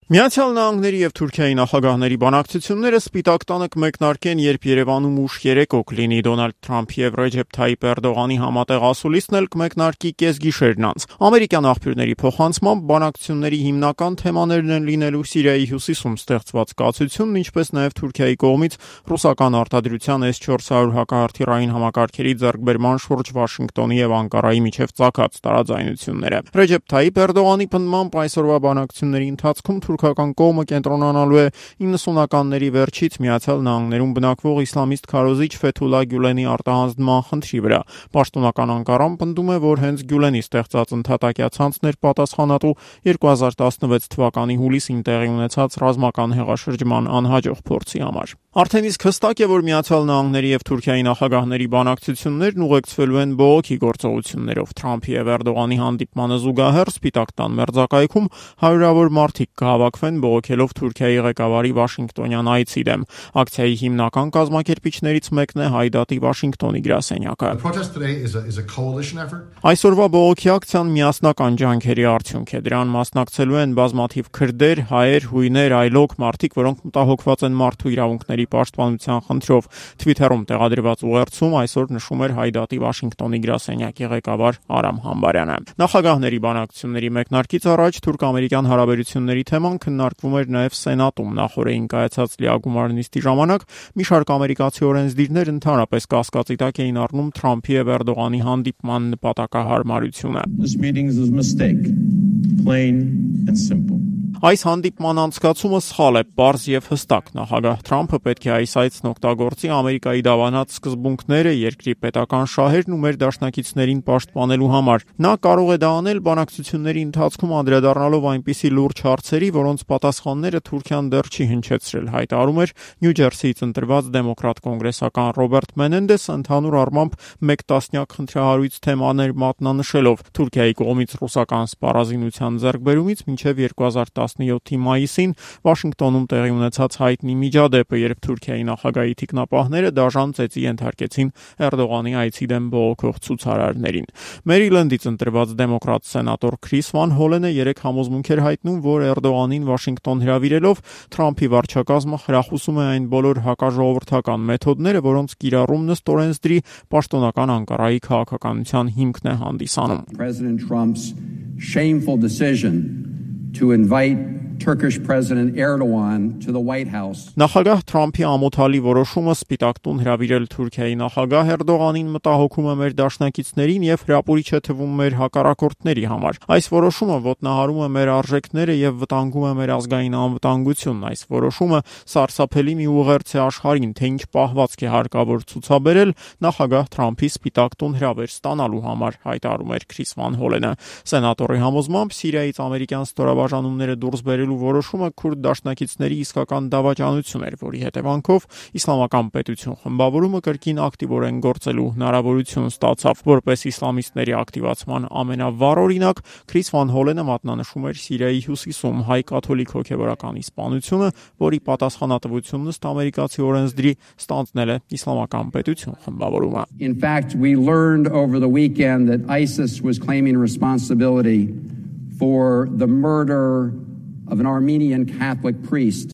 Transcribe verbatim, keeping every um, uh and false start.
Միացյալ Նահանգների եւ Թուրքիայի նախագահների բանակցությունները Սպիտակ տանը կմեկնարկեն, երբ Երևանում ուշ երեկո կլինի։ Դոնալդ Թրամփի եւ Ռեջեփ Թայիփ Էրդողանի համատեղ ասուլիսն էլ կմեկնարկի կեսգիշերն անց։ Ամերիկյան աղբյուրների փոխանցմամբ բանակցությունների հիմնական թեմաներն են լինելու Սիրիայի հյուսիսում ստեղծված կացությունն, ինչպես նաեւ Թուրքիայի կողմից ռուսական արտադրության էս չորս հարյուր հակահրթիռային համակարգերի ձեռքբերման շուրջ Վաշինգտոնի եւ Անկարայի միջև ծագած տարաձայնությունները։ Ռեջեփ Թայիփ Էրդողանի պնդմամբ այսօրվա բանակցությունների ընթացքում թուրքական կողմը կենտրոնանալու է իննսունականների վերջից Միացյալ Նահանգներում բնակվող իսլամիստ քարոզիչ Ֆեթուլա Գյուլենի արտահանձնման խնդրի վրա։ Պաշտոնական Անկարան պնդում է, որ հենց Գյուլենի ստեղծած ընդհատակյա ցանցն էր պատասխանատու երկու հազար տասնվեց թվականի հուլիսին տեղի ունեցած ռազմական հեղաշրջման անհաջող փորձի համար։ Արդեն իսկ հստակ է, որ Միացյալ Նահանգների եւ Թուրքիայի նախագահների բանակցություններն ուղեկցվելու են բողոքի գործողություններով։ Թրամփի եւ Էրդողանի հանդիպմանը զուգահեռ Սպիտակ տան մերձակայքում հարյուրավոր մարդիկ կհավաքվեն բողոքելով Թուրքիայի ղեկավարի Վաշինգտոնյան այցի դեմ։ Ակցիայի հիմնական կազմակերպիչներից մեկն է Հայդատի Վաշինգտոնի գրասենյակը։ Այսօրվա բողոքի ակցիան միասնական ջանքերի արդյունք է։ Դրան մասնակցելու են բազմաթիվ քրդեր, հայեր, հույներ, այլոք մարդիկ, որոնք մտահոգված են մարդու իրավունքների պաշտպանության խնդրով։ Թվիթերում տեղադրված ուղերձում այսօր նշում էր Հայդատի Վաշինգտոնի գրասենյակի ղեկավար Արամ Համբարյանը։ Նախագահների բանակցությունների մեկնարկից առաջ թուրք-ամերիկյան հարաբերությունների թեման քննարկվում էր նաև Սենատում։ Նախորդին կայացած լիագումար նիստի ժամանակ մի շարք ամերիկացի օրենսդիրներ ընդհանրապես կասկածի տակ էին առնում Թրամփի եւ Էրդողանի հանդիպման նպատակահարմարությունը։ Այս հանդիպման անցկացումը սխալ է, պարզ եւ հստակ։ Նախագահ Թրամփը պետք է այս այցն օգտագործի Ամերիկայի դավանած սկզբունքները, երկրի պետական շահերն ու մեր դաշնակիցներին պաշտպանելու համար։ Նա կարող է դա անել բանակցությունների ընթացքում անդրադառնալով այնպիսի լուրջ հարցերի, որոնց պատասխանները Թուրքիան դեռ չի հնչեցրել, հայտարարում էր Նյու Ջերսիից ընտրված դեմոկրատ կոնգրեսական Ռոբերտ Մենենդեսը, ընդհանուր առմամբ մեկ տասնյակ խնդրահարույց թեմաներ մատնանշելով Թուրքիայի կողմից ռուսական սպառազինության ձեռքբերումից մինչև երկու հազար տասնյոթի մայիսին Վաշինգտոնում տեղի ունեցած հայտնի միջադեպը, երբ Թուրքիայի նախագահի թիկնապահները դաժան ծեծի ենթարկեցին Էրդողանի այցի դեմ բողոքող ցուցարարներին։ Մերիլենդից ընտրված դեմոկրատ սենատոր Քրիս Վան Հոլենը երեք համոզմունք էր հայտնում, որ Էրդողանին Վաշինգտոն հրավիրելով Թրամփի վարչակազմը խրախուսում է այն բոլոր հակաժողովրդական մեթոդները, որոնց կիրառումն ըստ օրենսդրի պաշտոնական Անկարայի քաղաքականության հիմքն է հանդիսանում։ President Trump's shameful decision to invite Turkish President Erdogan to the White House. Նախագահ Թրամփի ամոթալի որոշումը Սպիտակ տուն հրավիրել Թուրքիայի նախագահ Էրդողանին մտահոգում է մեր դաշնակիցներին եւ հրապուրիչ է թվում մեր հակառակորդների համար։ Այս որոշումը ոտնահարում է մեր արժեքները եւ վտանգում է մեր ազգային անվտանգությունն։ Այս որոշումը սարսափելի մի ուղերձ է աշխարհին, թե ինչ պահվածք է հարկավոր ցուցաբերել նախագահ Թրամփի Սպիտակ տուն հրավեր ստանալու համար, հայտարարում էր Քրիս Վան Հոլենը։ Սենատորի համոզմամբ Սիրիայից ամերիկյան ստորաբաժանումները դուրս բերել որոշումը քուրդ դաշնակիցների իսկական դավաճանություն էր, որի հետևանքով իսլամական պետություն խմբավորումը կրկին ակտիվորեն գործելու հնարավորություն ստացավ։ Որպես իսլամիստների ակտիվացման ամենավառ օրինակ, Քրիս Վան Հոլենը մատնանշում էր Սիրիայի հյուսիսում հայ կաթոլիկ հոգևորականի սպանությունը, որի պատասխանատվությունն ըստ ամերիկացի օրենսդրի ստանձնել է իսլամական պետություն խմբավորումը։ In fact, we learned over the weekend that ISIS was claiming responsibility for the murder of an Armenian Catholic priest.